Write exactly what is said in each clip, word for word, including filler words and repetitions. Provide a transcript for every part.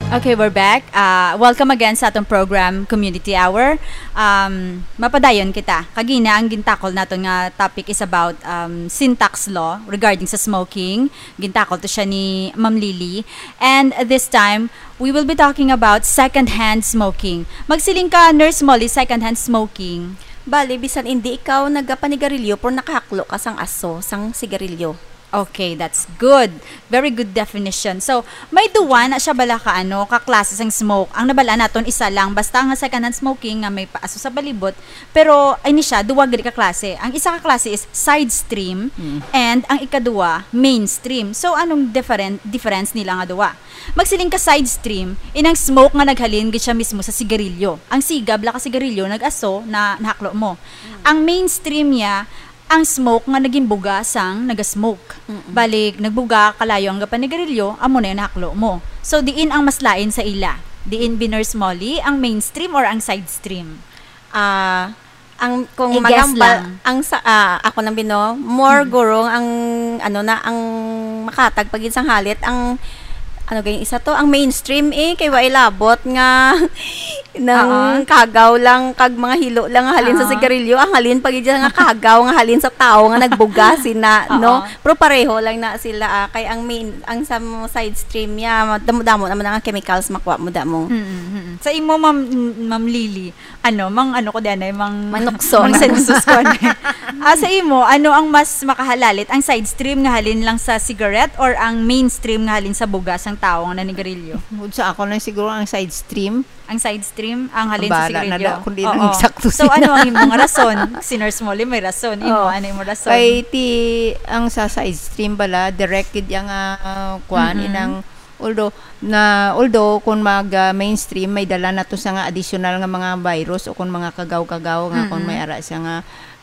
Okay, we're back. Uh, welcome again sa atong program, Community Hour. Um, mapadayon kita. Kagina, ang gintakol naton nga topic is about, um, syntax law regarding sa smoking. Gintakol to siya ni Ma'am Lily. And this time, we will be talking about secondhand smoking. Magsiling ka, Nurse Molly, secondhand smoking. Bali, bisan hindi ikaw nagapanigarilyo, pero nakahaklo ka sang aso, sang sigarilyo. Okay, that's good. Very good definition. So, may duwa na siya bala ka, ano, ka klase sang smoke. Ang nabal-an naton, isa lang. Basta nga secondhand smoking nga may paaso sa palibot. Pero, ay ni siya, duwa gid ka klase. Ang isa ka klase is side stream, Mm. and ang ikaduwa, mainstream. So, anong different, difference nila nga duwa? Magsiling ka side stream, inang smoke nga naghalin gid siya mismo sa sigarilyo. Ang siga bala ka sigarilyo, nag-aso, na nahaklo mo. Ang mainstream niya, ang smoke nga naging buga sang naga-smoke. Mm-mm. Balik, nagbuga, kalayo ang gapanigarilyo, amo na yung nahaklo mo. So, diin ang mas lain sa ila? Diin, bi Nurse Molly, ang mainstream or ang side stream? Ah, ang, kung I-guess magambal, lang. Ang sa, ah, ako nang bino, more Mm. gurong ang, ano na, ang makatag pag sang halit, ang, ano gayong isa to, ang mainstream eh, kay wa ilabot nga, nang Oo. kagaw lang, kag mga hilo lang nga halin sa Oo. sigarilyo, ang halin pag nga kagaw nga halin sa tao nga nagbuga sina, Oo. no? Pero pareho lang na sila, ah, kay ang main, ang sa mga side stream niya, damo-damo naman ang chemicals makuha mo damo. Mm, mm, mm. Sa imo, Ma'am, Ma'am Lily, ano, mang ano ko din ay, mang Manukso. Mang sensus ko din. Ah, sa imo, ano ang mas makahalalit? Ang side stream nga halin lang sa cigarette or ang mainstream nga halin sa bugas ang tao nga nanigarilyo? Bukod sa ako lang siguro ang side stream. Ang side stream, ang halin Ang sa bahala na sigarilyo? daw kung di Oo. lang eksakto So, sila. ano ang imong rason? Si Nurse Molly may rason. Imo, Oo. ano imong rason? Kay ti, ang sa side stream bala, direct gid yang, ah, kuan, Mm-mm. inang, although, na, although kung mag, ah, mainstream, may dala na to sa nga additional nga mga virus o kung mga kagaw-kagaw nga kung Mm-mm. may ara siya nga,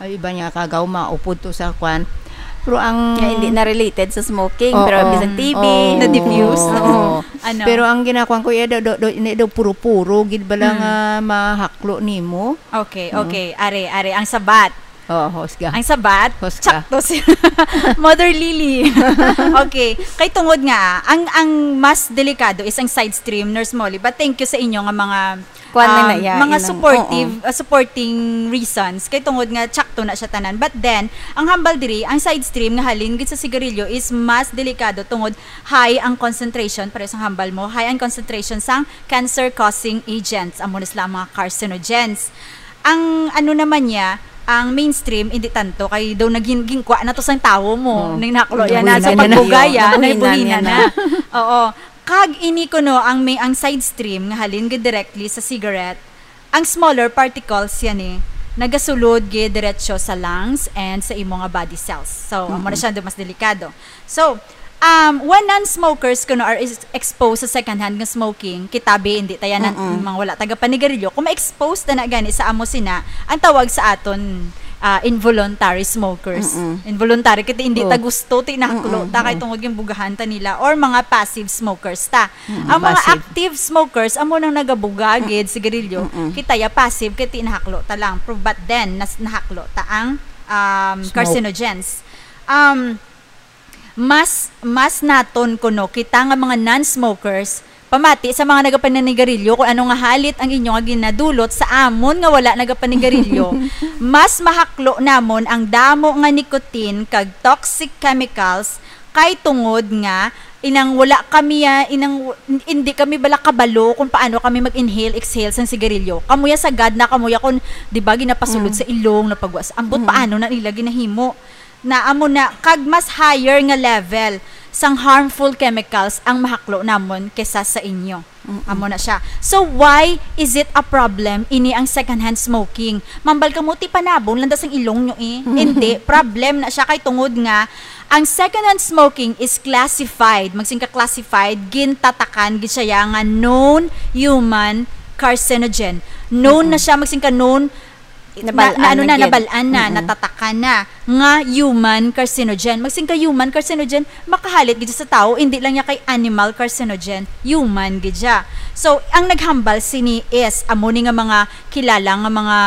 ah, iba niya kagaw, maupod to sa kuan. Pero ang Nga hindi na related sa smoking, Oo, pero bisan T B. oo, Na-diffuse. oo. Ano? Pero ang ginakuan ko, iya, do, do, do, ini daw puro-puro, gid bala Mm. nga mahaklo nimo. Okay, Mm. okay. Are, are, ang sabat. Oo, husga. Ang sabat, Husga. sakto si Mother Lily. Okay, kay tungod nga, ang, ang mas delikado is ang side stream, Nurse Molly. But thank you sa inyo nga mga, Kuwan na um, na, yeah, mga inang, supportive, oo. uh, supporting reasons. Kay tungod nga, tsakto na siya tanan. But then, ang hambal diri, ang side stream nga halin gid sa sigarilyo is mas delikado tungod high ang concentration, pareho sang hambal mo, high ang concentration sang cancer-causing agents, amo na sila ang mga carcinogens. Ang ano naman niya, ang mainstream, hindi tanto, kay daw naging gingkwa na to sang tawo mo, Oo. nang naklo yan na. Nabuhinan So, niya na. pagbugaya, Nabuhinan nabuhinan niya na. na. Oo. Kag ini kuno, ang may, ang side stream nga halin gid directly sa cigarette, ang smaller particles yan eh, nagasulod gid diretso sa lungs and sa imo nga body cells. So, amo na Mm-mm. siya daw mas delikado. So, um, when non-smokers kuno are is-, exposed sa secondhand nga smoking, kita bi, hindi tayo na, Mm-mm. mga wala taga panigarilyo, kung ma-expose na na gani sa amo sina, ang tawag sa aton, ah, involuntary smokers. Mm-mm. Involuntary, kay hindi ta Oh. gusto, ti nahaklo Mm-mm. ta, kay Mm. tungod yung bugahan ta nila, or mga passive smokers ta. Mm-mm. Ang mga Passive. active smokers, amo nang nagabuga gid sigarilyo, Mm-mm. kita ya passive, kay ti nahaklo ta lang. Pero but then, nas-, nahaklo ta ang, um, Smoke. carcinogens. Um, mas, mas naton kuno kita nga mga non-smokers, pamati sa mga nagapananigarilyo kung ano nga halit ang inyo nga ginadulot sa amon nga wala nagapanigarilyo, mas mahaklo namon ang damo nga nicotine kag toxic chemicals kay tungod nga inang wala kami, ah, inang w-, hindi kami bala kabalo kung paano kami mag-inhale, exhale sang sigarilyo. Kamuya sagad na, kamuya kung, di ba, ginapasulod Mm. sa ilong, napagwas. Ambot Mm. paano na nila ginahimo. Na amo na, kag mas higher nga level sang harmful chemicals ang mahaklo namon kesa sa inyo. Mm-mm. Amo na siya. So, why is it a problem ini ang secondhand smoking? Mambal ka mo, ti panabon lang da sang ilong nyo eh. Mm-hmm. Hindi, problem na siya kay tungod nga ang secondhand smoking is classified, magsiling ka classified, gintatakan gid siya ya nga known human carcinogen. Known na Mm-mm. siya, magsiling ka known Nabal-an na, na, ano na na, gid. Nabal-an na, Mm-mm. natatakan na nga human carcinogen. Magsiling ka human carcinogen, makahalit gid sa tao, hindi lang niya kay animal carcinogen, human gid siya. So, ang naghambal sini is, amo ni nga mga kilala nga mga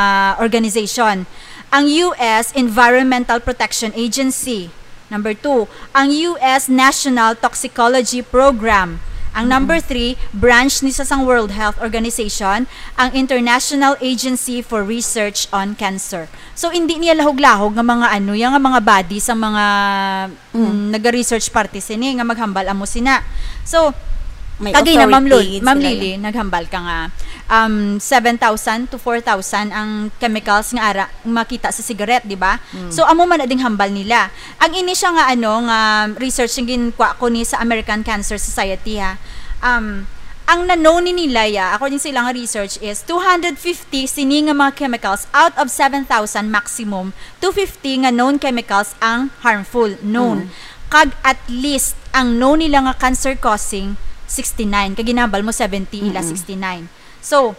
organization. Ang U S Environmental Protection Agency. Number two, ang U S National Toxicology Program. Ang number three, branch ni sa sang World Health Organization, ang International Agency for Research on Cancer. So, hindi niya lahog-lahog nga mga ano, yang nga mga body sa mga, mm, naga-research parte sini nga maghambal amo sina. So, May kagina, Ma'am Lul-, authority Ma'am sila. Lily, naghambal ka nga, um, seven thousand to four thousand ang chemicals nga ara makita sa cigarette, di ba? Mm. So, amo man na ding hambal nila. Ang ini siya nga, ano, nga research nga ginkuha ko ni sa American Cancer Society, ha. Um, ang na-known ni nila, ya, according sa ilang research, is two hundred fifty sini nga mga chemicals out of seven thousand maximum, two fifty nga known chemicals ang harmful, known. Mm. Kag at least ang known nila nga cancer causing, sixty-nine. Kag ginhambal mo, seventy ila, mm, sixty-nine. So,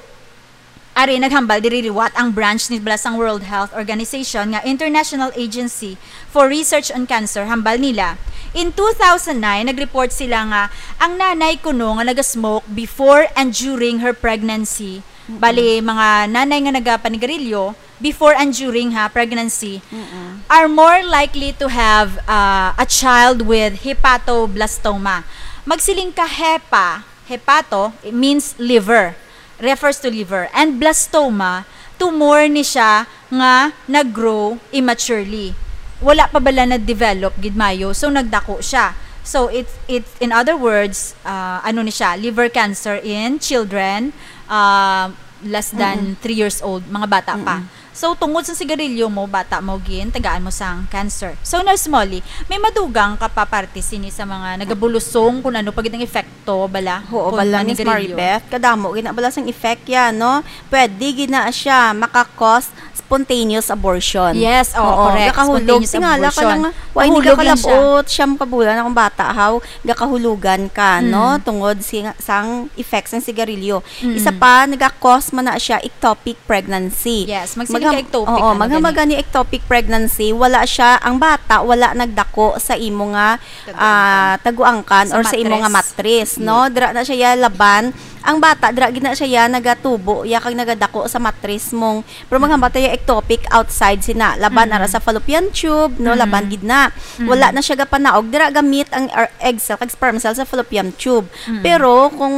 ari, naghambal diri liwat ang branch ni bala sang World Health Organization nga International Agency for Research on Cancer, hambal nila. In two thousand nine, nag-report sila nga ang nanay kuno nga naga-smoke before and during her pregnancy, mm-mm, bali, mga nanay nga nagapanigarilyo, before and during, ha, pregnancy, mm-mm, are more likely to have, uh, a child with hepatoblastoma. Magsiling ka hepa, hepato, it means liver, refers to liver. And blastoma, tumor ni siya nga nag-grow immaturely. Wala pa bala na-develop gid mayo, so nagdako siya. So, it, it, in other words, uh, ano ni siya, liver cancer in children, uh, less than, mm-mm, three years old, mga bata pa. Mm-mm. So, tungod sa sigarilyo mo, bata mo, gin, tagaan mo sang cancer. So, Nurse Molly, may madugang ka pa parte sini sa mga nagabulusong kung ano pa gid ang epekto bala, oo, kung bala, Miss manigarilyo? Maribeth, kadamo gid na bala sang effect yan, no? Pwede gid na siya maka-cause spontaneous abortion. Yes, oo, oo, correct. Gakahulog. Spontaneous abortion. Tingala ka lang, wa, hindi ka kalabot, siyam ka bulan akong bata, haw, gakahulugan ka, no? Mm. Tungod si-, sang effects ng sigarilyo. Mm. Isa pa, naga-cause man na siya ectopic pregnancy. Yes, magsiling ka ectopic, oo, ano, maghambal gani ectopic pregnancy, wala siya, ang bata, wala nagdako sa imo nga, ah, taguangkan or sa imo nga matris, no? Yes. Dira na siya ya laban. Ang bata, dira gid na siya ya nagatubo, ya kag nagadako sa matris mong, pero maghambal ta ya ectopic outside sina, laban ara sa fallopian tube, no? Mm. Laban gid na. Mm. Wala na siya gapanaog. Dira gamit ang er-, egg cell kag sperm cell sa fallopian tube. Mm. Pero kung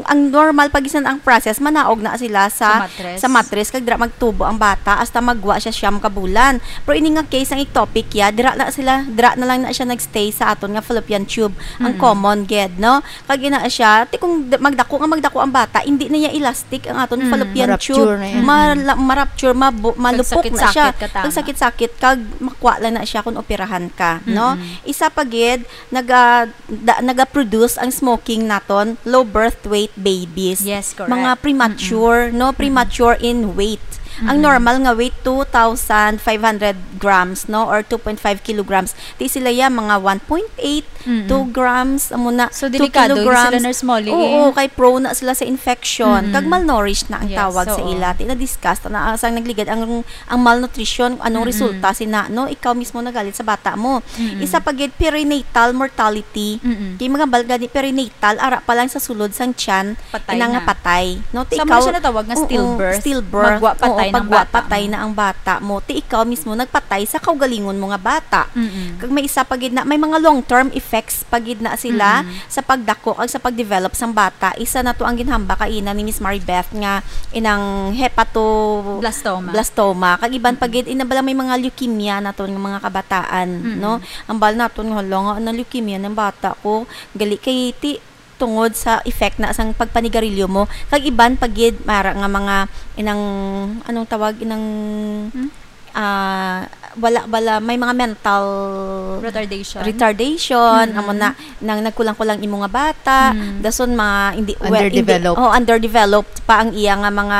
ang normal pa gid ang process, manaog na sila sa, sa matris, sa matris, kag dira magtubo ang bata hasta magwa siya siyam ka bulan. Pero ini nga case, ang ectopic ya, dira na sila, dira na lang na siya nagstay sa aton nga fallopian tube. Ang, mm, common gid, no? Kag ina siya, ti kung d-, magdako nga magdako ang bata, hindi na ya elastic ang aton, mm, fallopian tube. Ma-rupture na yan. Ma-, la-, ma-rupture, mabu-, malupok na siya. Kag sakit-sakit ka tama. Kag sakit-sakit, kag makwa lang na siya kung operahan ka, no? Mm-mm. Isa pa gid, naga-, da-, naga-produce ang smoking naton, low birth weight babies. Yes, correct. Mga premature, mm-mm, no? Mm-mm. Premature in weight. Ang, mm-mm, normal nga weight, two thousand five hundred grams, no? Or two point five kilograms. Ti sila ya, mga one point eight, mm-mm, two grams, amo na, two kilograms. So, delikado gid sila, Nurse Molly, eh. Oo, kay prone na sila sa infection. Mm-mm. Kag malnourished na ang tawag sa ila. Yes, oo. Ti na-discuss na, ah, sang nagligad ang ang malnutrition, anong, mm-mm, resulta sina, no? Ikaw mismo nagalit sa bata mo. Mm-mm. Isa pa gid, perinatal mortality. Mm-mm. Kay mga bal-, gani perinatal, ara pa lang sa sulod sang tiyan, patay na. Ina nga patay, no? Ti ikaw, siya natawag nga, oo, stillbirth. Stillbirth. Magwa patay, oo, ng pagwa bata patay mo. Na ang bata mo. Ti ikaw mismo nagpatay sa kaugalingon mo nga bata. Mm-mm. Kag may isa pa gid na, may mga long-term effects pa gid na sila, mm-mm, sa pagdako kag sa pagdevelop sang bata. Isa na to ang ginhambal kaina ni Miss Maribeth nga inang hepato-, blastoma. Blastoma. Kag iban pa, mm-mm, gid, ina bala may mga leukemia naton nga mga kabataan, mm-mm, no? Ambal naton nga, "Hala nga, na leukemia ng bata ko." Gali kay ti-, tungod sa effect na sang pagpanigarilyo mo. Kag iban pa gid, mara nga mga inang, anong tawag, inang, hmm? Ah, wala bala, may mga mental retardation. Retardation, mm-hmm, amo na, nang nagkulang-kulang imo nga bata, mm, dason mga hindi, we-, hindi, underdeveloped, oh, underdeveloped pa ang iya nga mga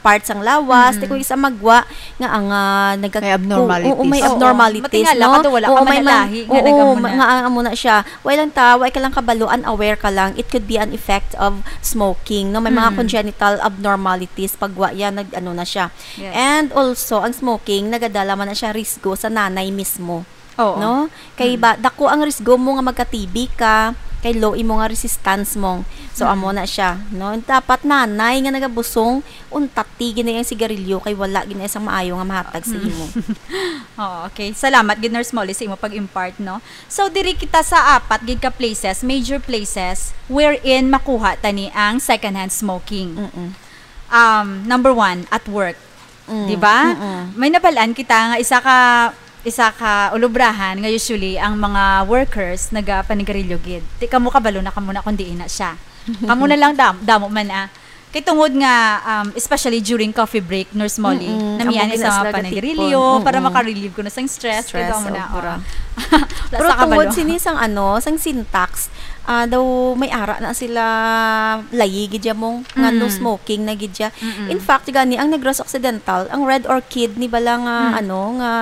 parts sang lawas. Mm-hmm. Ti kung isa magwa nga ang, ah, nagag-, may abnormalities. Oo, may, oo, abnormalities, matingala, no? Ka daw, wala ka, oo, may man-, manalahi nga, oo, nag-amo na. Nga ang amo na siya. Way lang ta, way ka lang kabalo, unaware ka lang, it could be an effect of smoking, no? May mga, mm, congenital abnormalities, pagwa yan, nag-, ano na siya. Yes. And also, ang smoking, nagadala man na siya risgo sa nanay mismo. Oo. No? Kay, mm, ba, dako ang risgo mo nga magka-T B ka, Kay low imo nga resistance mo. So, Mm. amo na siya, no? Dapat nanay nga nagabusong, untati gid na ang sigarilyo kay wala gid na sang maayo nga mahatag sa Mm. imo. Oo, okay. Salamat gid, Nurse Molly, sa imo pag-impart, no? So, diri kita sa apat gid ka places, major places, wherein makuha tani ang secondhand smoking. Mm-mm. Um, number one, at work. Mm, Di ba? mm-mm. May nabalaan kita nga isa ka, isa ka ulubrahan nga usually ang mga workers nagapanigarilyo gid. Di kamo kabalo na kamo na kung diin na siya. Kamo na lang dam-, damo man, ah. Kay tungod nga, um, especially during coffee break, Nurse Molly, Mm-mm. namian Amo sa mga ginaas lang panigarilyo tipon. Para Mm-mm. maka-relieve ko na sang stress. Kay Stress, damo na, sobra. oh. Wala Pero sa kabalo. tungod sini sang ano, sang Sintax, ah, daw may ara na sila layi gid ya mong nga no Mm. smoking na gid ya. Mm-mm. In fact, gani ang Negros Occidental, ang Red Orchid ni bala nga, Mm. ano, nga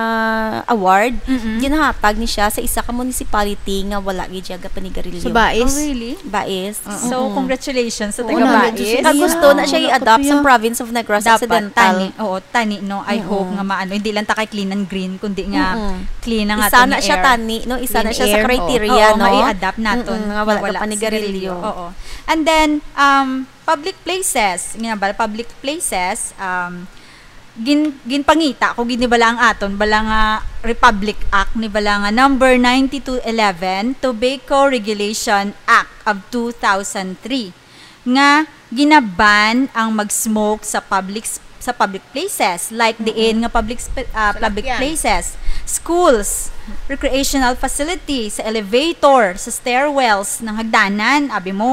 award, Mm-mm. ginahatag ni siya sa isa ka municipality nga wala gid ya gapanigarilyo. Sa Bais? Oh, really? Bais. Oo. So, Mm-mm. congratulations sa Oo, taga nandyan Bais. siya. Kag gusto na siya Wala ko i-adopt sa siya. province of Negros Dapat, Occidental. tani. Oo, tani, no? I hope Mm-mm. nga maano. Hindi lang ta kay clean and green, kundi nga Mm-mm. clean ang Isa aton na nga siya, air. tani, no? Isa Clean na siya sa air. criteria, Oo, no? nga i-adapt naton Mm-mm, nga wala nga wala ka panigarilyo. sigarilyo. Oo. And then, um, public places. Nga ba, public places, um, gin-, ginpangita ko gid ni bala ang aton, bala nga Republic Act ni bala nga number ninety-two eleven, Tobacco Regulation Act of two thousand three, nga ginaban ang mag-smoke sa public s-, sa public places, like Mm-mm. diin nga public sp-, ah, Sa public lakyan. places, schools, recreational facility, sa elevator, sa stairwells, ng hagdanan, abi mo,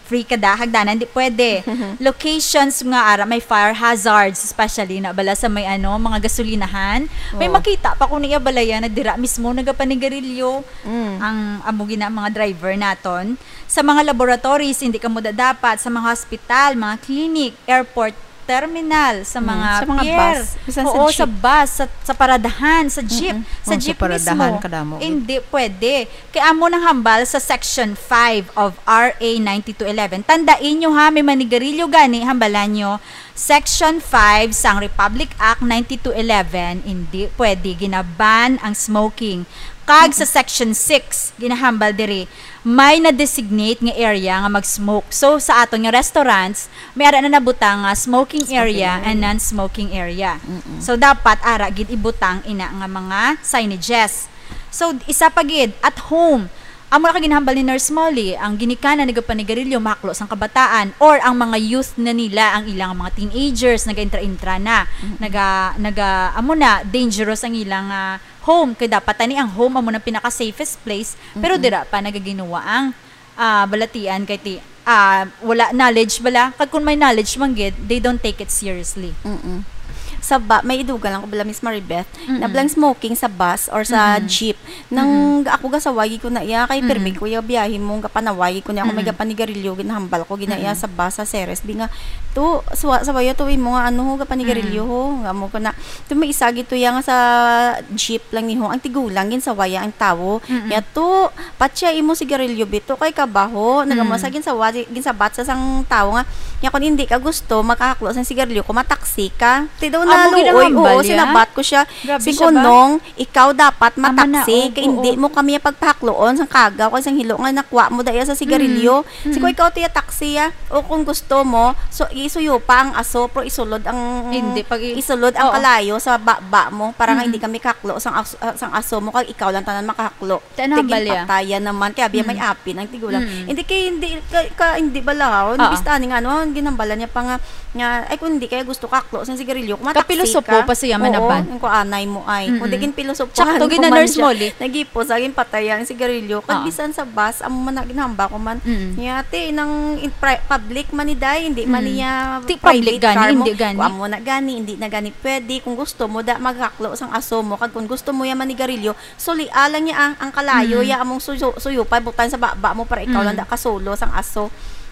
free ka da, hagdanan, di pwede. Locations nga ara may fire hazards, especially na bala sa may ano, mga gasolinahan. May Oo. makita pa ko niya balaya na dira mismo nagapanigarilyo Mm. ang amo gina mga driver naton. Sa mga laboratories, hindi ka mo dapat. Sa mga hospital, mga clinic, airport terminal, sa Mm, mga sa mga pier. bus, bisan sa Oo, sa jeep. bus, sa, sa paradahan, sa jeep, Mm-mm. sa Oh, sa jeep paradahan, mismo. kadamo. Hindi pwede. Kay amo nang hambal sa Section five of R A ninety-two eleven. Tandaan nyo ha, may manigarilyo gani, hambalan nyo, Section five sang Republic Act ninety-two eleven, hindi pwede ginaban ang smoking. Kag sa Section six, ginahambal diri, may na-designate nga area nga mag-smoke. So, sa aton nga restaurants, may ara na nabutang nga smoking Smoking area area. and non-smoking area. Mm-mm. So, dapat ara gid ibutang ina nga mga signages. So, isa pa gid, at home. Amo na ka ginahambal ni Nurse Molly, ang ginikanan nagapanigarilyo mahaklo sang kabataan or ang mga youth na nila, ang ilang mga teenagers, naga-intra-intra na, Mm-mm. naga, naga, amo na, dangerous ang ilang, ah, home. Kay dapat tani ang home amo na pinaka-safest place, pero Mm-mm. dira pa nagaginuwa ang, ah, balatian kay ti, ah, wala knowledge bala. Kag kung may knowledge man gid, they don't take it seriously. Mm-mm. Sa ba, may idugang lang ko bala, Miss Maribeth, Mm-mm. na blang smoking sa bus or sa Mm-mm. jeep. Nang Mm-mm. ako gasawagi ko na iya, kay Mm-mm. pirmi ko iya biyahe mo, gapanawagi ko niya ako may Mm-mm. gapanigarilyo, ginahambal ko gina iya Mm-mm. sa bus, sa Ceres. Di nga, to, suwa, sawaya to imo nga ano, gapanigarilyo Mm-mm. ho. Nga mo ko na, to may isa gito iya nga sa jeep lang ni ho, ang tigulang gin sawaya ang tawo. Mm-mm. Ya to, patya imo sigarilyo bito kay kabaho. Nagamo Mm. sa ginsawa, ginsabat sa sang tawo nga, ya kung hindi ka gusto, makahaklo sang sigarilyo, kumataksi ka. Ti daw Amo na luoy, ginahambal oo, ya? sinabat ko siya. Grabe Sing siya ba? kunong, ikaw dapat Ama na, mataksi, oh, kay hindi oo. mo kami pagpahakloon sang kagaw, kay sang hilo nga nakuha mo daya sa sigarilyo. Mm, Si ko mm. ikaw tiya taksi, ah. O kung gusto mo, so, isuyo pa ang aso, pero isulod ang, Hindi, pag i-, isulod ang oo. kalayo sa baba mo, para nga Mm-mm. hindi kami kahaklo sang as-, ah, sang aso mo, kag ikaw lang tanan makahaklo. Ti ano Tigin hambal ya? patayan naman, kay abi may Mm. apin ang tigulang. Mm. Hindi kay, hindi, ka, ka, hindi balahaw, Oo. Bista ani nga, ano, ang ginambalan niya pa nga, nga, ay, kung hindi kaya gusto kaklo sang sigarilyo, kumataksi Kapilosopo ka. pa siya, Oo, manaban. ang kuanay mo ay. Kung Mm-mm. di kin pilosopo, Tsakto, ano gina man Nurse siya, Molly. nagipos, agin patay ang sigarilyo. Kag Oo. bisan sa bus, amo man na ginhamba ko man. Mm. Niya, ate, nang in pri-, public man ni day, hindi man Mm. niya Ti public private gani, car mo. hindi gani. Kung amo na gani, hindi na gani pwede. Kung gusto mo, da, magkaklo sang aso mo. Kag kung gusto mo yung manigarilyo, sulia lang niya ang, ang kalayo, Mm. ya among suyo, suyo pa, butang sa baba mo para ikaw lang Mm. da kasulo sang aso.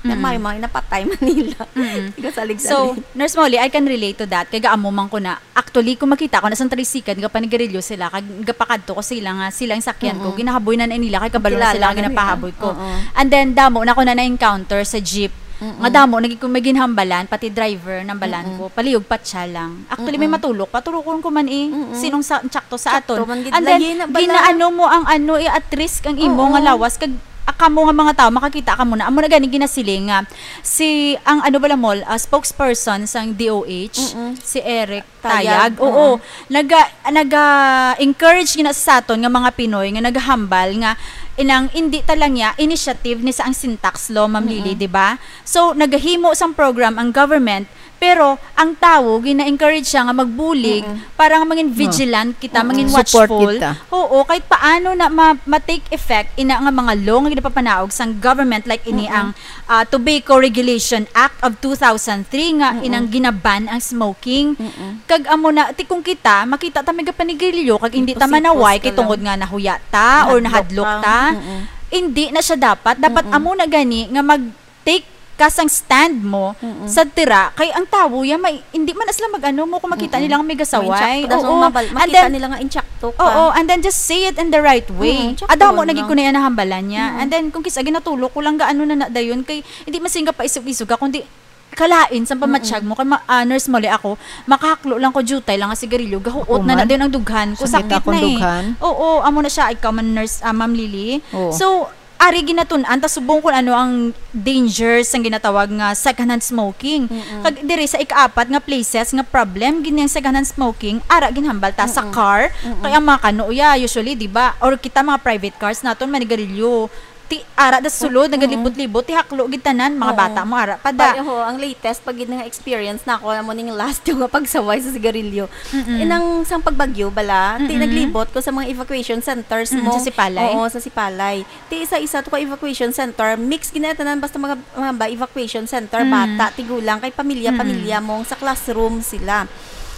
Na Mm. may mga napatay Manila. Mm. Tiga salig-salig. So, Nurse Molly, I can relate to that. Kay gaamo man ko na, actually, kung makita ko na sang tricycle, nga panigarilyo sila, kag gapakadto ko sila nga, sila ang sakyan ko, Mm-mm. ginahaboy na na nila, kay kabalo na Kilala sila nga na nila. ginapahaboy ko. Oo. And then, damo na ko na na-encounter sa jeep. Mm-mm. Nga damo, naging kung may ginhambalan, pati driver, nambalan Mm-mm. ko, palihog patya lang. Actually, may Mm-mm. matulok, patulokon ko man eh. Mm-mm. Sinong sa, tsakto sa Tsakto aton. man gid, And then, layi na bala. ginaano mo ang ano, eh, at risk ang imo Oo. nga lawas, kag Kamo nga mga tao, makakita kamo na. Amo na gani ginasiling nga si, ang ano bala, Mol, ah, spokesperson sang D O H, Mm-mm. si Eric Tayag, Tayag, oo. oo. Naga-, naga-encourage gina sa aton nga mga Pinoy nga nagahambal nga inang indi ta lang ya initiative ni sa ang syntax law, Ma'am Lily, Mm-mm. di ba? So, nagahimo sang program ang government, pero ang tawo gina-encourage siya nga magbulig Mm-mm. para nga mangin Oh. vigilant kita, Mm-mm. mangin Support watchful. kita. Oo, kahit paano na ma-, ma-take effect ina nga mga law nga ginapapanaog sang government, like ini Mm-mm. ang, ah, Tobacco Regulation Act of two thousand three nga Mm-mm. inang ginaban ang smoking. Mm-mm. Kag amo na, ti kung kita, makita ta may gapanigarilyo, kag hindi ta Hipos-hipos manaway ka kay tungod lang. nga nahuya ta or Nahadlok nahadlok ka. ta. Mm-mm. Hindi na siya dapat. Dapat Mm-mm. amo na gani nga mag-take ka sang stand mo Mm-mm. sa tira, kay ang tawo ya, may, hindi man na sila mag-ano mo kung makita Mm-mm. nila nga may gasaway. May intsakto. That's Oo. all mabal-, And makita then, nila nga intsakto ka. Oo, and then just say it in the right way. Mm, intsakto Adamo na lang. gid ko na yan nahambalan niya. Mm-mm. And then, kung kisa ginatulok ko lang gaano na na dayon, kay hindi masinga pa isog-isog ako, kundi kalain sa Mm-mm. pamatyag mo, kay ma-, ah, Nurse Molly, ako, makahaklo lang ko, jutay lang nga sigarilyo, gahuot na na Human? din ang dughan ko, Sakit sakit na akong na eh. dughan. Oo, amo na siya, ikaw man, Nurse, ah, Ma'am Lily. Oo. So, ari ginatun-an ta subong kung ano ang danger sang ginatawag nga secondhand smoking. Mm-mm. Kag diri sa ikaapat nga places nga problem gid ang secondhand smoking, ara ginhambal ta sa Mm-mm. car, Mm-mm. kay ang mga kano, ya, usually, di ba? Or kita mga private cars naton, manigarilyo. Ti, ara da sulod, Mm-mm. nagalibot-libot, ti haklo gid tanan, mga Oo. bata mo, ara pa da. Ay, oo, ang latest, pag gid nga experience na ako, amo ning last yung nga pagsaway sa sigarilyo. Mm-mm. Inang sang pagbagyo bala, ti Mm-mm. naglibot ko sa mga evacuation centers Mm, mo. sa Sipalay? Oo, sa Sipalay. Ti isa-isa to ka evacuation center, mix gid na tanan, basta mga, mga ba, evacuation center, Mm. bata, tigulang, kay pamilya-pamilya Mm. mong sa classroom sila.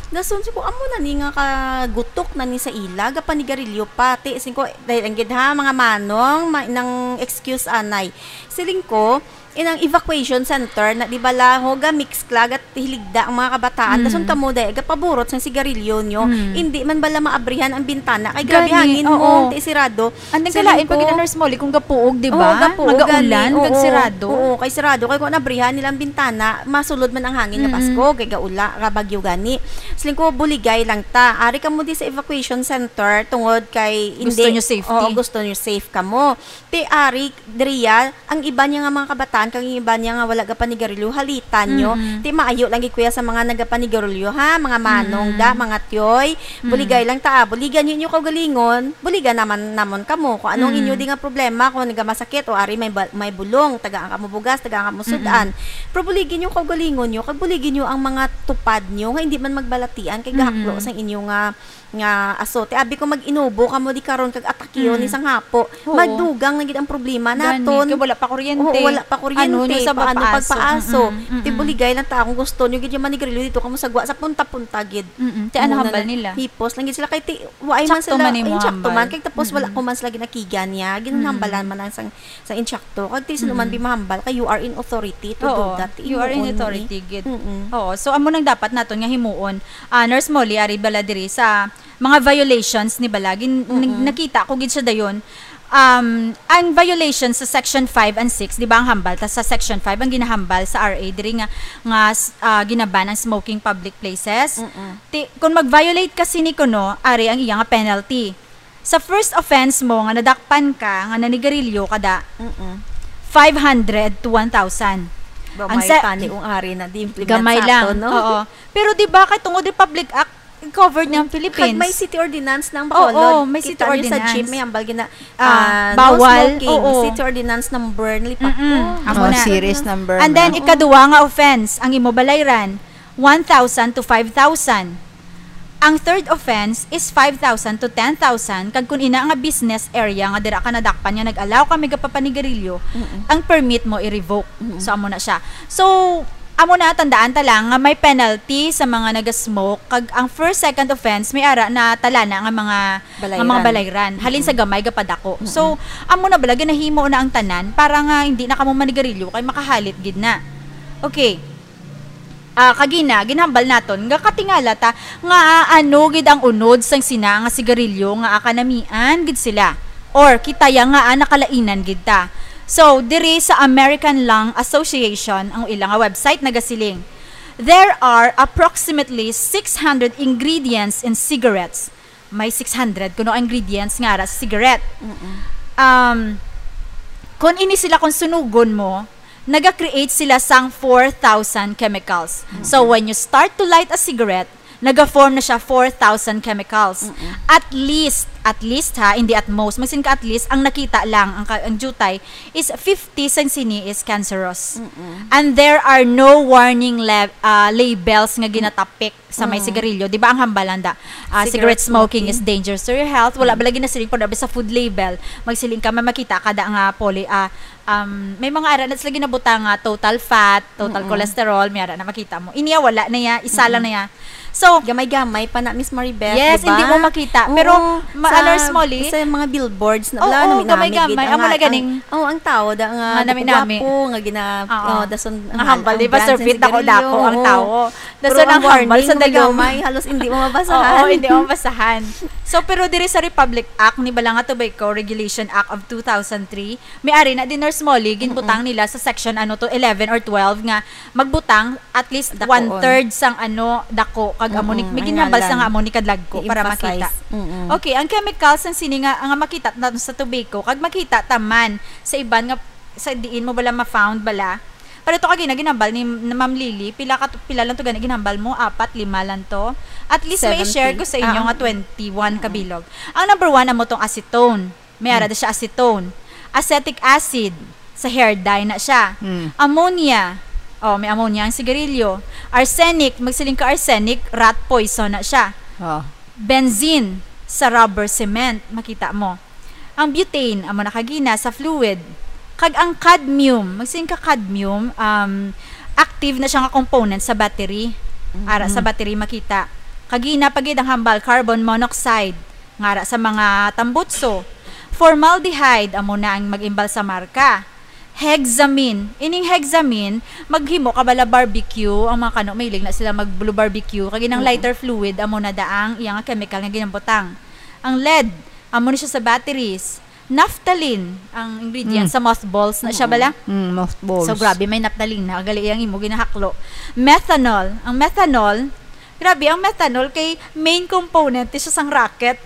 Dason ko, amo na ni nga kagutok na ni sa ila, gapanigarilyo pa. Ti, sing ko, dahil ang gid ha, mga manong, ma-, nang excuse anay. Siling ko, inang evacuation center na di bala ho, ga-mix klag at hiligda ang mga kabataan. Mm. Dason kamo, dahil gapaburot sang sigarilyo nyo, Mm. hindi man bala maabrihan ang bintana. Kay grabe Gani, hangin oo. mo, ti sirado. And then, Siling kalain pa ko, gid ang Nurse Molly kung gapuog, di oo, ba? gapuog, Magaulan, gani. kag Oo. sirado. Oo, kay sirado. Kay kung nabrihan nila ang bintana, masulod man ang hangin nga Mm-mm. baskog, kay gaula, nga bagyo gani. Siling ko, buligay lang ta. Ari kamo di sa evacuation center tungod kay Gusto hindi, nyo safety. oo, gusto nyo safe kamo. Ti ari, Dria, ang iba niya nga mga kabataan, kag ang iba niya nga wala gapanigarilyo, halitan nyo. Mm-mm. Ti maayo lang gid, kuya, sa mga nagapanigarilyo, ha? Mga manong Mm-mm. da, mga tiyoy. Mm-mm. Buligay lang ta, ah. Buligan nyo inyo kaugalingon. Buligan naman namon kamo kung anong Mm. inyo di nga problema, kung nagamasakit o ari may ba-, may bulong, tagaan kamo bugas, tagaan kamo Mm-mm. sudan. Pero buligi nyo kaugalingon nyo, kag buligi nyo ang mga tupad nyo nga hindi man magbalatian kay gahaklo Mm-mm. sang inyo nga, nga aso. Ti abi ko mag-inubo kamo di karon kag atakyo Mm. ni sang hapo. Oo. Magdugang na gid ang problema Gani, naton. kay wala pa kuryente. Oo, wala pa kuryente. Ano nyo sa Paano pagpaaso? pagpaaso? Mm-mm, Ti mm-mm. buligay lang ta kung gusto nyo gid yung manigarilyo dito kamo sa gwa, sa punta-punta gid. Mm-mm. Ti ano Muna hambal na, nila? hipos lang gid sila kay ti, waay man Tsakto sila, man imo ay, tsakto hambal. man. Kay tapos wala Mm-mm. ko man sila ginakigan niya. Ginhambalan Mm-mm. man lang sang, sang intsakto. Kag ti sino man Mm-mm. bi mahambal kay you are in authority to do Oo, that. you are in Imo ni. authority gid. Mm-mm. Oo, so amo nang dapat naton nga himuon. Ah, Nurse Molly, ari bala diri sa mga violations ni bala. Gin-, Mm-mm. nakita ko gid siya dayon. Um, ang violation sa Section five and six, di ba, ang hambal? Ta sa Section five, ang ginahambal sa R A, diri nga, nga, s-, ah, ginaban ang smoking public places. Mm-mm. Ti, kung mag-violate ka sini kuno, ari ang iya nga penalty. Sa first offense mo nga nadakpan ka nga nanigarilyo ka da, Mm-mm. five hundred to one thousand. Gamay Ang sa- tani ang ari na di implement Gamay sa lang. ato, no? Oo. Pero di ba, kay tungod Republic Act, covered niya ang Philippines. Kag may city ordinance ng Oo, Bacolod. may city Kita niyo sa ordinance. jeep, may hambal gina-, Ah, ah, no bawal. smoking. Oo. City ordinance number, nalipat Mm-mm. ko. Amo Oh, na. series number And then, na. ikaduha nga offense, ang imo balayran, one thousand to five thousand. Ang third offense is five thousand to ten thousand, kag kung ina nga business area nga dira ka nadakpan nga nag-allow ka may gapapanigarilyo, Mm-mm. ang permit mo i-revoke. Mm-mm. So, amo na siya. So, amo na, tandaan ta lang nga may penalty sa mga naga-smoke, kag ang first, second offense, may ara na talana nga mga, nga mga Balayran. balayran. Halin sa Mm-mm. gamay gapadako. Mm-mm. So, amo na bala, ginahimo na ang tanan para nga hindi na kamo manigarilyo kay makahalit gid na. Okay. Ah, kagina, ginhambal naton nga katingala ta nga, ah, ano gid ang unod sang sina nga sigarilyo nga, ah, kanamian gid sila. Or kita ya nga, ah, nakalainan gid ta. So, diri sa American Lung Association, ang ila nga website nagasiling, "There are approximately six hundred ingredients in cigarettes." May six hundred kuno ingredients nga ara sa cigarette. Mm-mm. Um, Kung ini sila, kung sunugon mo, naga-create sila sang four thousand chemicals. So, when you start to light a cigarette, naga-form na siya four thousand chemicals. At least, at least ha, hindi at most, magsin ka at least, ang nakita lang, ang, ka- ang jutay, is fifty sang sini is cancerous. And there are no warning lab- ah, labels nga ginatapik sa may sigarilyo. Di ba ang hambal anda? Ah, cigarette smoking is dangerous to your health. Wala ba lagi nasiling, pero sa food label, magsiling ka, may makita ka da nga poly, ah, um, may mga ara na sila ginabutang nga total fat, total cholesterol, may ara na makita mo. Inya wala na ya, isa lang na ya. So, Gamay-gamay pa na, Miss Maribeth, yes, di ba? Hindi mo makita. Oo, Pero, ma- sa, Nurse Molly, sa mga billboards na, oo, wala, naminami gamay-gamay. gid. Amo Ang, na ganing ang, oh, ang tao da nga Nga nami-nami. Gwapo, nga gina, Oo. Oh, dason, Nga hambal, di ba, Sir Fit, dako-dako ang tao. Dason ang hambal sa dagway. Gamay, halos hindi mo mabasahan. Oo, hindi mo mabasahan. So, pero diri sa Republic Act, ni bala nga Tobacco Regulation Act of two thousand three, may ari na din, Nurse Molly, ginbutang nila sa section, ano to, eleven or twelve nga magbutang at least Dakoon. One-third sang, ano, dako, kag amo ni, Mm-mm, may ang ginhambal sa ngalan. Nga amo ni kadlagko para I-emphasize. makita. Mm-mm. Okay, ang chemicals sang sini nga, nga makita nato sa tobacco, kag makita ta man sa iban nga, sa diin mo bala ma-found bala. Pero to kagina ginhambal ni Ma'am Lily, pila ka, pila lang to gani ginhambal mo? Apat, lima lang to? At least may Seventy. share ko sa inyo Ah, nga twenty-one ka bilog. Ang number one amo tong acetone. May ara da siya acetone. Acetic acid, sa hair dye na siya. Hmm. Ammonia. Oh, may ammonia ang sigarilyo. Arsenic, magsiling ka arsenic, rat poison na siya. Oh. Benzene, sa rubber cement, makita mo. Ang butane, amo na kagina, sa fluid. Kag ang cadmium, magsiling ka cadmium, um, active na siya nga component sa battery. Ara sa battery makita. Kagina pa gid ang hambal, carbon monoxide, nga ara sa mga tambutso. Formaldehyde, amo na ang mag-imbal sa marka. Hexamine. Ining hexamine, maghimo ka bala barbecue, ang mga kano mahilig na sila mag-blue barbecue, kag inang lighter fluid, amo na daang iya nga chemical nga ginabutang. Ang lead, amo ni siya sa batteries. Naphthalene, ang ingredient sa mothballs na siya bala. Mm, mothballs. So, grabe, may naphthalene na. Gali ang imo ginahaklo. Methanol. Ang methanol, grabe, ang methanol kay main component siya sang rocket.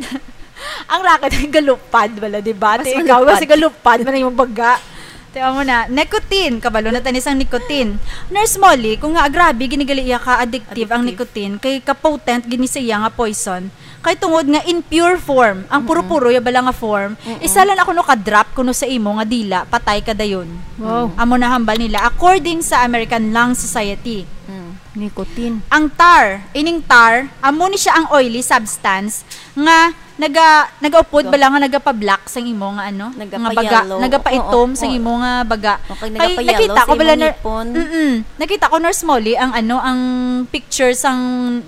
Ang rocket ay galupad, wala, di ba? Mas Ti ikaw, malupad. Kasi galupad man yung baga. Tiyan mo na. Nicotine. Kabalo na tani sang nicotine. Nurse Molly, kung nga grabe, ginigali iya ka addictive ang Addictive. Nicotine, kay ka-potent gini sa iya nga poison. Kay tungod nga in pure form, ang puro-puro ya bala nga form, isa lang ako no ka-drop kuno sa imo nga dila, patay ka dayon. Wow. Amo na hambal nila, according sa American Lung Society. Nicotine. Ang tar, ining tar, amo ni siya ang oily substance nga naga nagaupod bala nga nagapa-black sang imo nga ano, nga baga, Nagapa-yellow. Nagapa-itom Oo, sang oo. imo nga baga. Okay, Kay nagapa-yellow nakita sa ko bala imong na, ngipon. Mm-mm. Nakita ko, Nurse Molly, ang ano, ang picture sang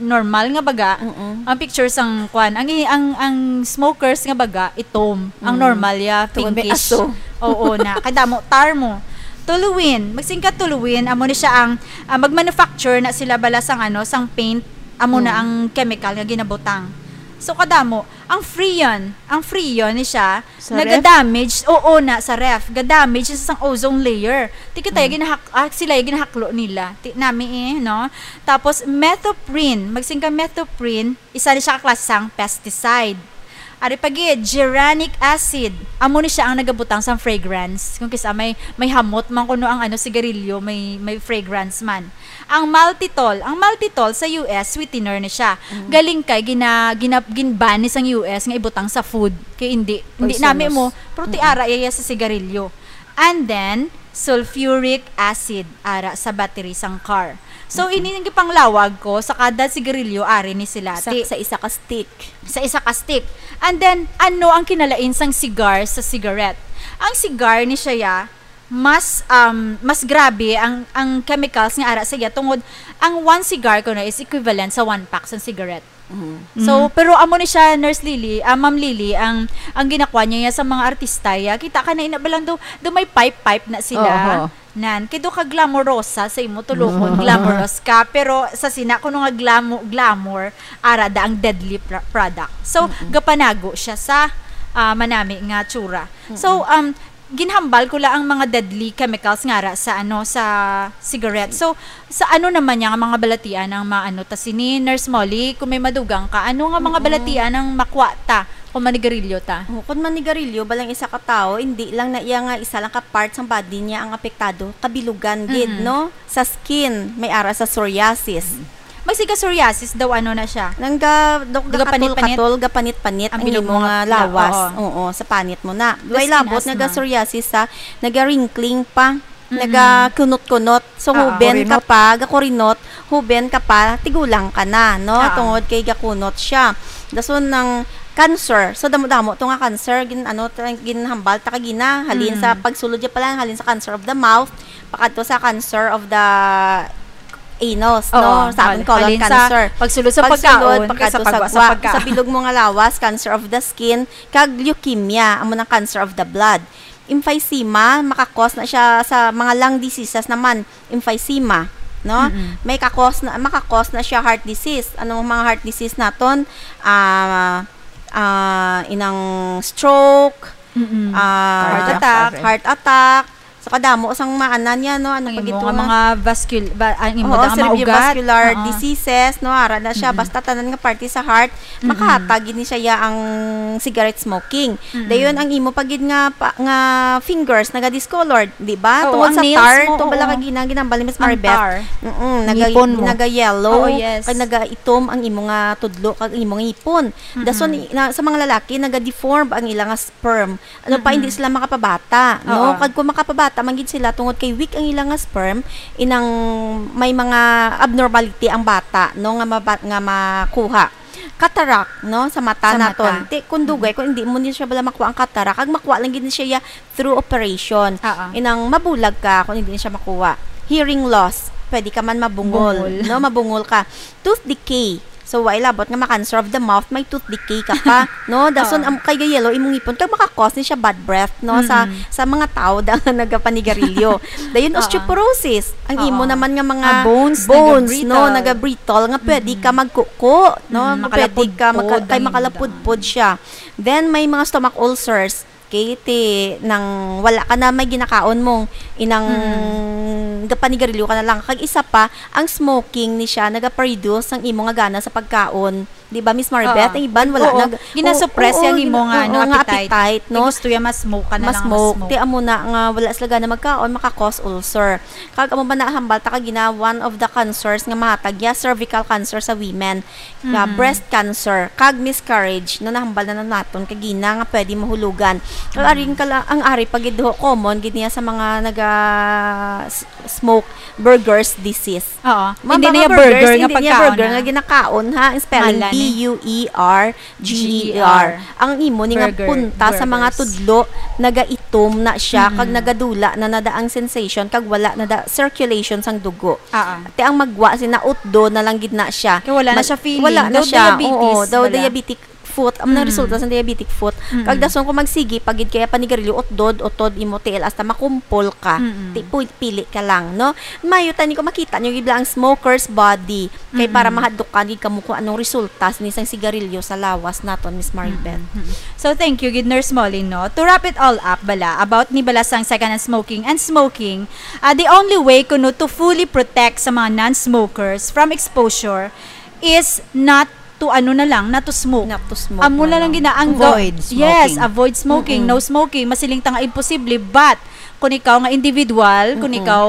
normal nga baga, Mm-mm. ang picture sang kwan, ang i- ang ang smokers nga baga itom, ang Mm. normal ya Tungod may pinkish. aso. Oo na, kadamo tar mo. Toluene, magsingkat toluene, amo ni siya ang ah, magmanufacture na sila bala sang ano, sang paint, amo na Mm. ang chemical nga ginabutang. So kadamo, ang freon, ang freon ni siya Sa ref? naga-damage, oo na sa ref, ga-damage sa sang ozone layer. Ti kita Mm. ginahak ah, sila yung ginahaklo nila. Ti nami eh, no? Tapos methoprene, magsingka methoprene, isa ni siya ka klase sang pesticide. Ari pa gid, geranic acid. Amo ni siya ang nagabutang sang fragrance. Kung kisa may may hamot man kuno ang ano sigarilyo, may may fragrance man. Ang maltitol, ang maltitol sa U S sweetener ni siya. Galing kay gina, gina ginban ni sang U S nga ibutang sa food. Kay hindi hindi Poisonous. nami mo, pero ti ara iya sa sigarilyo. And then sulfuric acid ara sa battery sang car. So ini ang gipanglawag ko sa kada sigarilyo ari ni sila. Sa, Ti- sa isa ka stick. sa isa ka stick. And then, ano ang kinalain sang cigar sa cigarette? Ang cigar ni siya ya, mas um, mas grabe ang ang chemicals nga ara sa iya tungod ang one cigar kuno is equivalent sa one pack sa cigarette. So, pero amo ni siya, Nurse Lily, ah, Ma'am Lily, ang ang ginakuha niya ya sa mga artista ya. Kita ka na ina ba lang do, do may pipe-pipe na sila. Oho. Nan, kay do ka glamorosa sa imo tulokon, glamorous ka, pero sa sina kuno nga glamo, glamour, ara da ang deadly pr- product. So, gapanago siya sa ah, manami nga tsura. So, um, Ginhambal ko lang ang mga deadly chemicals nga ara sa, ano, sa cigarette. So, sa ano naman niya nga mga balatian ang maano ta sini, Nurse Molly, kung may madugang ka, ano nga mga Mm. balatian ang makwa ta kung manigarilyo ta? Oh, kung manigarilyo, balang isa ka tawo, hindi lang na iya nga isa lang ka part sang body niya ang apektado, kabilugan gid, Mm. no? Sa skin, may ara sa psoriasis. Mm. May siga psoriasis daw, ano na siya? Nang ga-, dok-, Gapanit-panit? Gatol-katol, gapanit-panit Ang ang bilog imo mo nga nga, lawas. Oo. Oo, sa panit mo na. The Way skin labot nga asthma. Ga-psoriasis sa, naga-wrinkling pa, Mm-mm. nagakunot-kunot. So, Oo. Huben ka Kurinot. pa, gakurinot, huben ka pa, tigulang ka na, no? Oo. Tungod kay gakunot siya. Dason ng cancer. So, damo-damo to nga cancer, gin-, ano, ta-, ginhambal ta kagina, halin sa Mm. pagsulod niya pala, halin sa cancer of the mouth, pakadto sa cancer of the anus, Oo, no? Sa aton hal-, colon halin sa cancer. pagsulod sa Pagsulod, pagkaon, pakadto kay sa sa pagwa sa gwa, pagkaon. sa bilog mo nga lawas, cancer of the skin, kag leukemia, amo nang cancer of the blood. Emphysema, makakos na siya sa mga lung diseases naman, emphysema, no? Mm-mm. May kakos na, makakos na siya heart disease. Anong mga heart disease naton? Ah, ah, inang stroke, Mm-mm. ah, Heart attack. heart attack. So, kadamo sang maana niya, no? Ano Ang pa imo gito nga nga? mga vascul-, ba-, ang imo Oo, da nga mga ugat. cerebrovascular Oo. diseases, no? Ara na siya. Mm-mm. Basta tanan nga parte sa heart, Mm-mm. makahatag gid ni siya ya ang cigarette smoking. Mm-mm. Dayon, ang imo pa gid nga pa, nga fingers naga-discolored, di ba? Oo, Tungod ang sa nails tar, mo, tungod bala oo. kag gina-, ginambal ni Miss Ang Maribeth. tar. Mm-mm, naga-, Ngipon mo. naga-yellow, Oo, yes. kag nagaitom ang imo nga tudlo, kag imo nga ngipon. Mm-mm. Dason, i-, na, sa mga lalaki, naga-deform ang ila nga sperm. Ano pa, Mm-mm. hindi sila makapabata, no? Oo. Kag kung makapabata man gid sila, tungod kay weak ang ila nga sperm, inang may mga abnormality ang bata, no, nga maba-, nga makuha. Cataract, no, sa mata Sa naton. mata. Ti, kung dugay, Mm-mm. kung hindi mo ni siya bala makuha ang cataract, kag makuha lang gid ni siya ya through operation. Oo. Inang mabulag ka kung hindi ni siya makuha. Hearing loss, pwede ka man mabungol, Bungol. no, mabungol ka. Tooth decay. So, wa ilabot nga ma-cancer of the mouth, may tooth decay ka pa, no? Dason, Oo. am-, kay ga-yellow imong ngipon, kag maka-cause ni siya bad breath, no? Sa, Mm-mm. sa mga tao da nga nagapanigarilyo. Dayon, Oo. osteoporosis. Ang imo Oo. naman nga mga Ah, bones, bones, no? naga-brittle. Naga-brittle, nga pwede Mm-mm. ka magkuko, no? Mm, Nga pwede ka makalapudpod, maka-, kay ang makalapudpod imo siya. Then, may mga stomach ulcers. Okay, ti nang wala ka na may ginakaon mo, inang Mm. gapanigarilyo ka na lang. Kag isa pa, ang smoking ni siya nagaproduce sang imo nga gana sa pagkaon. Di ba, Miss Maribeth? Oo. Ang iban, wala Oo. nag-, Ginasuppress oo, yung imo gina-, nga, oo, ano, nga appetite. appetite, no? Kay gusto niya mas smoke ka na lang, Mas mas smoke. smoke. Ti amo na nga wala sila gana magkaon, maka-cause ulcer. Kag amo ba nahambal ta kagina, one of the cancers nga mahatag ya, cervical cancer sa women. Nga Mhm. breast cancer, kag miscarriage, no, nahambal na, na naton kagina nga pwede mahulugan. Kag Mhm. ari ang kala-, ang ari pa gid ho, common gid niya sa mga naga s-, smoke, Buerger's disease. Oo. Ma'am, Hindi baka niya burger, burger nga hindi niya pagkaon burger na. nga ginakaon, ha? Ang spelling, Ngalan, eh. B U E R G E R. G E R. Ang imo ni nga Burger, punta sa mga burgers. tudlo, nagaitom na siya, kag Mm. nagadula na nada ang sensation, kag wala nada circulation sang dugo. Oo. Ti ang magwa sina utdo na lang gid na siya. Kay wala na Mag-, siya feeling. wala na Daw siya. diabetes Oo, daw bala. diabetic foot. Amo nang Mm. resulta sa diabetic foot. Mm. Kag dason kung magsigi pa gid kaya panigarilyo, utdod, utod imo tiil hasta makumpol ka. Mm-mm. Ti pu-, pili ka lang, no? Mayo tani kung makita nyo gid lang ang smoker's body. Kay para Mm-mm. mahadlukan gid kamo kung anong resulta sini sang sigarilyo sa lawas naton, Miss Maribeth. Mm-mm. Mm-mm. So, thank you gid, Nurse Molly, no? To wrap it all up, bala, about ni bala sang second-hand smoking and smoking, ah, the only way kuno to fully protect sa mga non-smokers from exposure is not to, ano na lang, not to smoke. Not to smoke Amo na na lang lang. gina-, ang Avoid ga-, yes, smoking. avoid smoking, Mm-mm. no smoking. Masiling ta nga imposible, but kung ikaw nga individual, kung Mm-mm. ikaw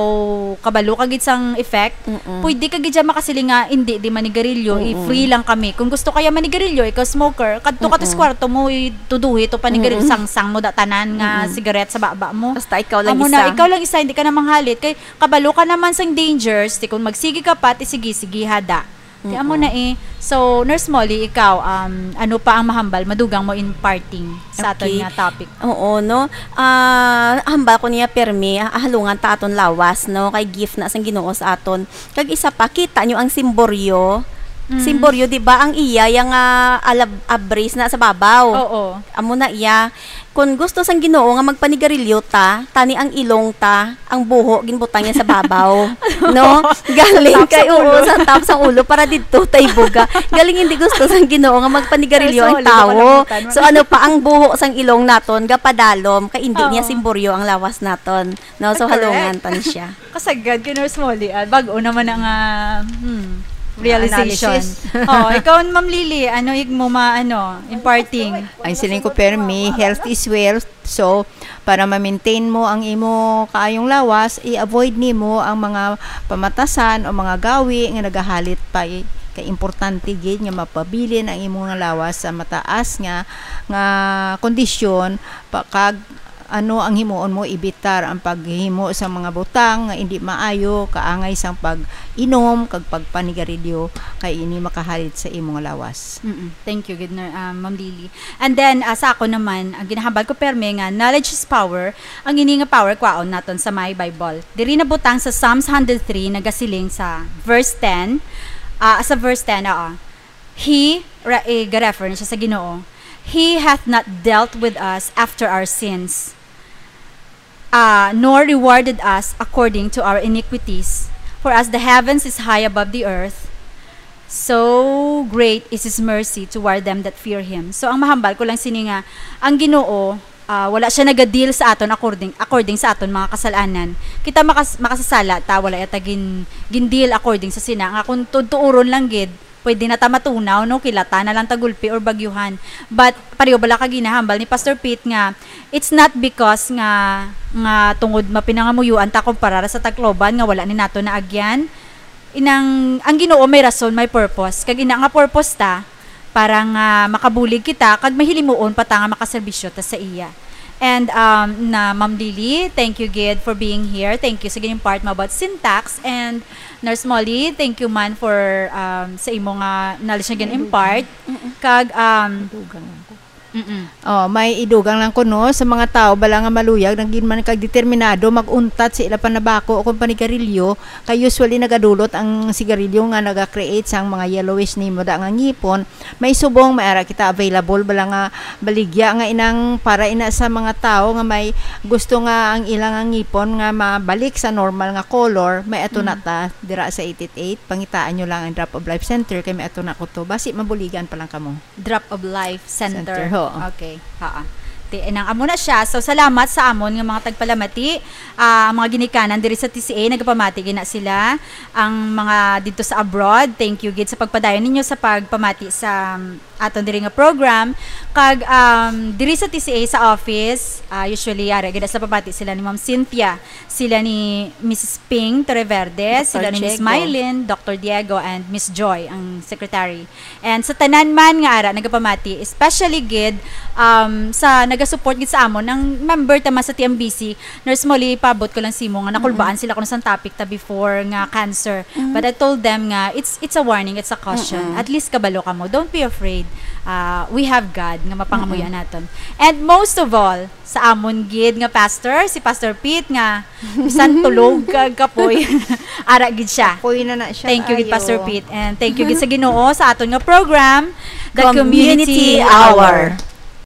kabalo ka gid sang effect, Mm-mm. pwede ka gid siya makasiling nga, "Hindi, di manigarilyo, Mm-mm. i-free lang kami." Kung gusto kaya manigarilyo, ikaw smoker, kadto ka to sa Mm-mm. kwarto mo, i-, tuduhi to panigarilyo, Mm-mm. sangsang mo da tanan nga Mm-mm. sigaret sa baba mo. Basta ikaw lang Amo isa. na, ikaw lang isa, hindi ka na manghalit. Kay kabalo ka naman sang dangers, ti kung magsigi ka pa, ti sige, sige, hada. Ti amo Mm-mm. na eh. So, Nurse Molly, ikaw, um, ano pa ang mahambal, madugang mo in parting sa aton Okay. nga topic? Oo, no? Ah, hambal ko niya, pirmi, ah, halungan ta aton lawas, no? Kay gift na sang Ginoo sa aton. Kag isa pa, kita nyo ang simboryo, Simboryo, di ba, ang iya, yang, ah, alab-, abris na sa babaw. Oo. Amo na iya. Kung gusto sang Ginoo nga magpanigarilyo ta, tani ang ilong ta, ang buho, ginbutang niya sa babaw. No? Galing top kay, sang ulo. Oo, sa top sang ulo, para didto tay buga. Galing hindi gusto sang Ginoo nga magpanigarilyo ang tawo. So, ano pa, ang buho sang ilong naton, gapadalom, kay hindi niya simboryo ang lawas naton. No? So, halungan pa ni siya. Kasagad kay Nurse Molly, ah, bag-o naman ang, ah, hmm, realization. Analysis. Oh, ikaw, Ma'am Lily, ano ig mo ma-, ano, imparting? Ang siling ko, permi, health is wealth. So, para ma-maintain mo ang imo kaayong lawas, i-avoid nimo ang mga pamatasan o mga gawi nga nagahalit pa i-, kay importante gid nga mapabilin ang imo nga lawas sa mataas nga, nga kondisyon pa, kag ano ang himuon mo, ibitar ang paghimo sa mga butang nga indi maayo, kaangay sang pag-inom kag pagpanigarilyo, kay ini makahalit sa imo nga lawas. Mm-mm. Thank you, gid, Ner-, ah, Ma'am Lily. And then, ah, sa ako naman, ang ginahambal ko, perme, nga knowledge is power. Ang ini nga power, kwaon naton sa may Bible. Diri nabutang sa Psalms hundred three, nagasiling sa verse ten, ah, sa verse ten, oo. He, ra-, eh, ga-refer na siya sa Ginoo, "He hath not dealt with us after our sins, uh, nor rewarded us according to our iniquities. For as the heavens is high above the earth, so great is His mercy toward them that fear Him." So, ang mahambal ko lang sini nga, ang Ginoo, ah, wala siya nagadeal sa aton according, according sa aton mga kasalanan. Kita makas-, makasasala ta, wala yata gin-, gindeal according sa sina. Nga kung tuod-tuuron lang gid, pwede na ta matunaw, no? Kilata na lang ta gulpi or bagyuhan. But, pareho bala ka ginahambal ni Pastor Pete nga, it's not because nga, nga tungod mapinangamuyuan ta kumpara sa Tacloban nga wala ni nato naagyan. Inang, ang Ginoo may rason, may purpose. Kag ina nga purpose ta, para nga makabulig kita, kag mahilimuon pa ta nga makaserbisyo ta sa iya. And, um, na Ma'am Lily, thank you gid for being here. Thank you sa gin-impart mo about syntax. And Nurse Molly, thank you man for, um, sa imo nga knowledge nga gin-impart. Mm-mm. Kag, um, Dugang lang ko. Mm-mm. Oh, may idugang lang ko, no, sa mga tawo bala nga maluyag, nagin man kag determinado mag-untat sa ila panabako o kung panigarilyo, kay usually nagadulot ang sigarilyo nga naga-create sang mga yellowish nimo da nga ngipon. May subong, may ara kita available bala nga baligya nga inang para ina sa mga tawo nga may gusto nga ang ilang nga ngipon nga mabalik sa normal nga color, may ato na Mm. ta dira sa eight eight eight. Pangitaan nyo lang ang Drop of Life Center kay may ato na ko to. Basi mabuligan pa lang kamo. Drop of Life Center. Center, ho. Okay. Haa. Ti, nang amo na siya. So, salamat sa amon nga mga tagpalamati. Ah, ang mga ginikanan diri sa T C A, nagapamati gina sila. Ang mga dito sa abroad, thank you gid sa pagpadayon ninyo sa pagpamati sa, um, aton diri nga program. Kag, um, diri sa T C A sa office, ah, usually, ara gid sa pamati sila ni Ma'am Cynthia, sila ni Missus Ping Torreverde, Doctor sila ni Miss Diego. Mylene, Doctor Diego, and Miss Joy, ang secretary. And sa tanan man nga ara nagapamati, especially gid, um, sa nagasupport gid sa amon, ang member ta man sa T M B C, Nurse Molly, paabot ko lang simo nga nakulbaan Mm-mm. sila kuno sa topic ta before nga cancer. Mm. But I told them nga it's, it's a warning, it's a caution. Mm-mm. At least kabalo kamo. Don't be afraid. Uh, we have God nga mapangamuyan Mm-mm. naton. And most of all, sa amon gid nga pastor, si Pastor Pete, nga bisan tulog kag kapoy, ara gid siya. Kapoy na na siya. Thank you gid, Ayo. Pastor Pete, and thank you gid sa Ginoo sa aton nga program, The Community Community Hour. Hour.